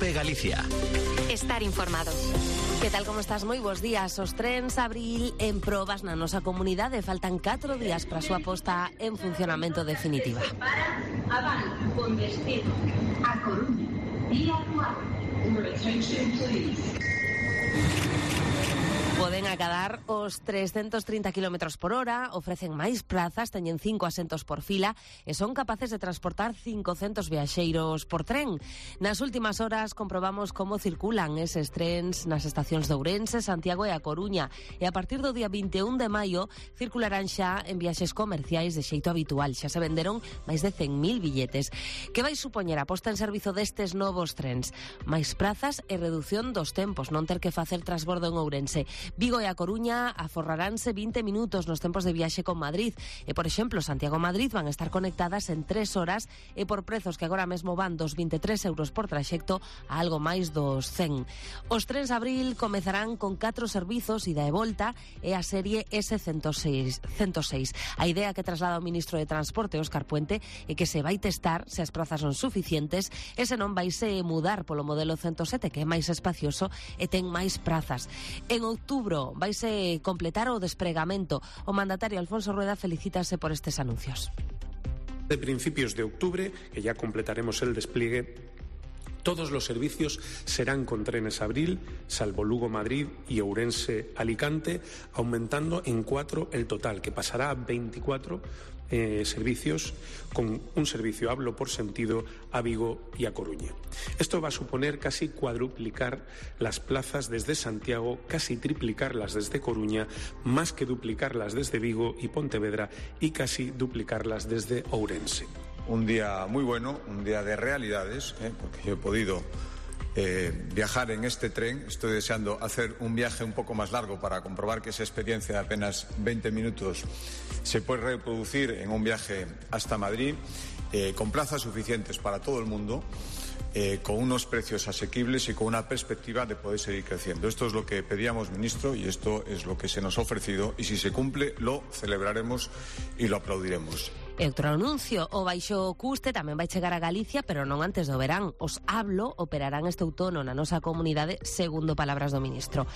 COPE Galicia. Estar informado. Que tal, como estás? Moi bons días. Os trens Abril en probas na nosa comunidade. Faltan 4 días para a súa posta en funcionamento definitiva. Para Aval, con destino a Coruña, vía Acuar. Your attention, please. Poden acadar os 330 km por hora, ofrecen máis plazas, teñen 5 asentos por fila e son capaces de transportar 500 viaxeiros por tren. Nas últimas horas comprobamos como circulan eses trens nas estacións de Ourense, Santiago e A Coruña, e a partir do día 21 de maio circularán xa en viaxes comerciais de xeito habitual. Xa se venderon máis de 100.000 billetes. Que vai supoñer a posta en servizo destes novos trens? Máis plazas e redución dos tempos, non ter que facer transbordo en Ourense. Vigo e A Coruña aforraránse 20 minutos nos tempos de viaxe con Madrid e, por exemplo, Santiago-Madrid van a estar conectadas en 3 horas e por prezos que agora mesmo van dos 23 euros por traxecto a algo máis dos 100. Os trens Abril comezarán con 4 servizos ida e volta e a serie S106. A idea que traslada o ministro de Transporte, Óscar Puente, é que se vai testar se as prazas son suficientes e se non vaise mudar polo modelo 107, que é máis espacioso e ten máis prazas. En outubro vaise completar o despregamento. O mandatario Alfonso Rueda felicítase por estes anuncios. De principios de octubre, que ya completaremos el despliegue, todos los servicios serán con trenes Abril, salvo Lugo-Madrid y Ourense-Alicante, aumentando en 4 el total, que pasará a 24 servicios, con un servicio, hablo por sentido, a Vigo y a Coruña. Esto va a suponer casi cuadruplicar las plazas desde Santiago, casi triplicarlas desde Coruña, más que duplicarlas desde Vigo y Pontevedra y casi duplicarlas desde Ourense. Un día muy bueno, un día de realidades, porque yo he podido viajar en este tren. Estoy deseando hacer un viaje un poco más largo para comprobar que esa experiencia de apenas 20 minutos se puede reproducir en un viaje hasta Madrid, con plazas suficientes para todo el mundo, con unos precios asequibles y con una perspectiva de poder seguir creciendo. Esto es lo que pedíamos, ministro, y esto es lo que se nos ha ofrecido, y si se cumple lo celebraremos y lo aplaudiremos. E outro anuncio, o baixo custe tamén vai chegar a Galicia, pero non antes do verán. Os Hablo operarán este outono na nosa comunidade, segundo palabras do ministro.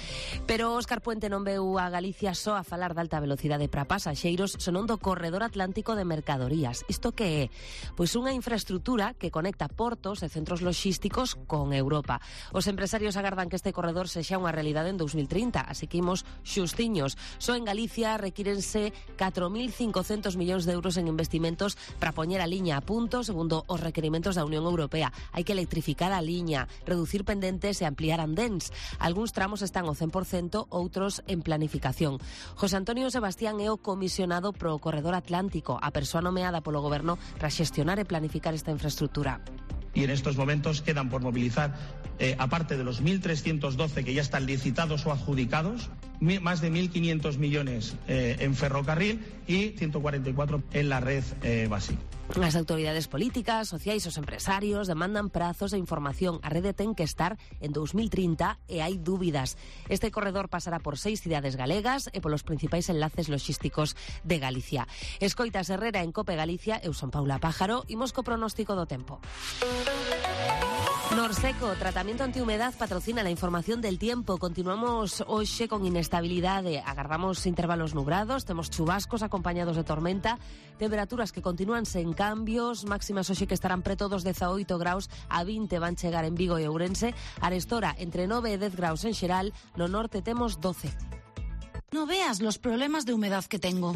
Pero Óscar Puente non veu a Galicia só a falar de alta velocidade para pasaxeiros, senón do corredor atlántico de mercadorías. Isto que é? Pois unha infraestrutura que conecta portos e centros logísticos con Europa. Os empresarios agardan que este corredor sexa unha realidade en 2030, así que imos xustiños. Só en Galicia requírense 4.500 millóns de euros en investimentos para poñer a liña a punto segundo os requerimentos da Unión Europea. Hai que electrificar a liña, reducir pendentes e ampliar andéns. Algúns tramos están ao 100%, outros en planificación. José Antonio Sebastián é o comisionado pro corredor atlántico, a persoa nomeada polo goberno para xestionar e planificar esta infraestructura. Y en estos momentos quedan por movilizar, aparte de los 1.312 que ya están licitados o adjudicados, más de 1.500 millones en ferrocarril y 144 en la red básica. As autoridades políticas, sociais, os empresarios demandan prazos e información. A rede ten que estar en 2030 e hai dúbidas. Este corredor pasará por 6 cidades galegas e polos principais enlaces logísticos de Galicia. Escoitas Herrera en COPE Galicia, eu son Paula Pájaro, imos co pronóstico do tempo. Norseco, tratamento antihumedad, patrocina la información del tiempo. Continuamos hoxe con inestabilidade. Agardamos intervalos nubrados, temos chubascos acompañados de tormenta, temperaturas que continúan sen cambios, máximas hoxe que estarán preto dos 18 graus, a 20 van chegar en Vigo e Ourense, arestora entre 9 e 10 graus en xeral, no norte temos 12. No veas los problemas de humedad que tengo.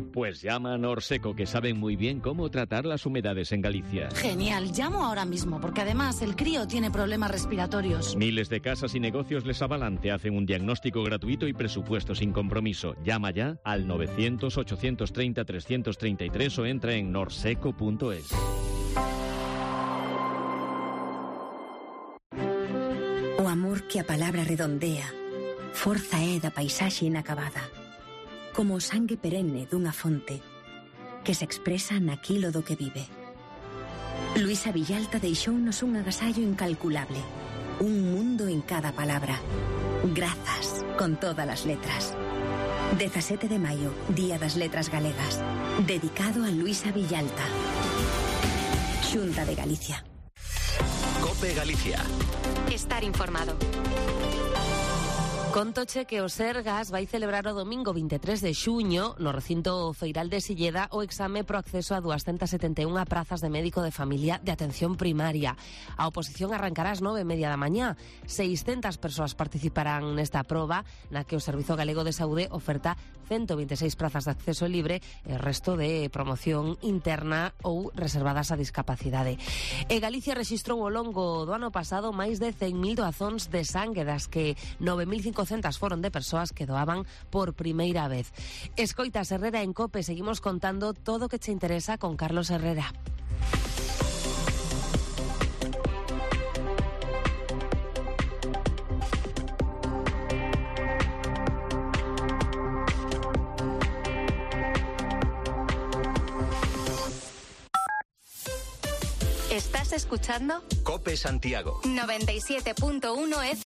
Pues llama a Norseco, que saben muy bien cómo tratar las humedades en Galicia. Genial, llamo ahora mismo, porque además el crío tiene problemas respiratorios. Miles de casas y negocios les avalan, te hacen un diagnóstico gratuito y presupuesto sin compromiso. Llama ya al 900-830-333 o entra en norseco.es. O amor que a palabra redondea, forza é da paisaxe inacabada. Como o sangue perenne dunha fonte que se expresa naquilo do que vive. Luisa Villalta deixounos un agasallo incalculable, un mundo en cada palabra. Grazas, con todas as letras. 17 de maio, Día das Letras Galegas. Dedicado a Luisa Villalta. Xunta de Galicia. COPE Galicia. Estar informado. Contoche que o Sergas vai celebrar o domingo 23 de xuño no recinto feiral de Silleda o exame pro acceso a 271 prazas de médico de familia de atención primaria. A oposición arrancará ás 9:30 da mañá. 600 persoas participarán nesta proba na que o Servizo Galego de Saúde oferta 126 prazas de acceso libre e o resto de promoción interna ou reservadas a discapacidade. E Galicia rexistrou ao longo do ano pasado máis de 100.000 doazóns de sangue, das que 9.500 foron de persoas que doaban por primeira vez. Escoitas Herrera en COPE, seguimos contando todo o que te interesa con Carlos Herrera. ¿Estás escuchando? COPE Santiago. 97.1 F.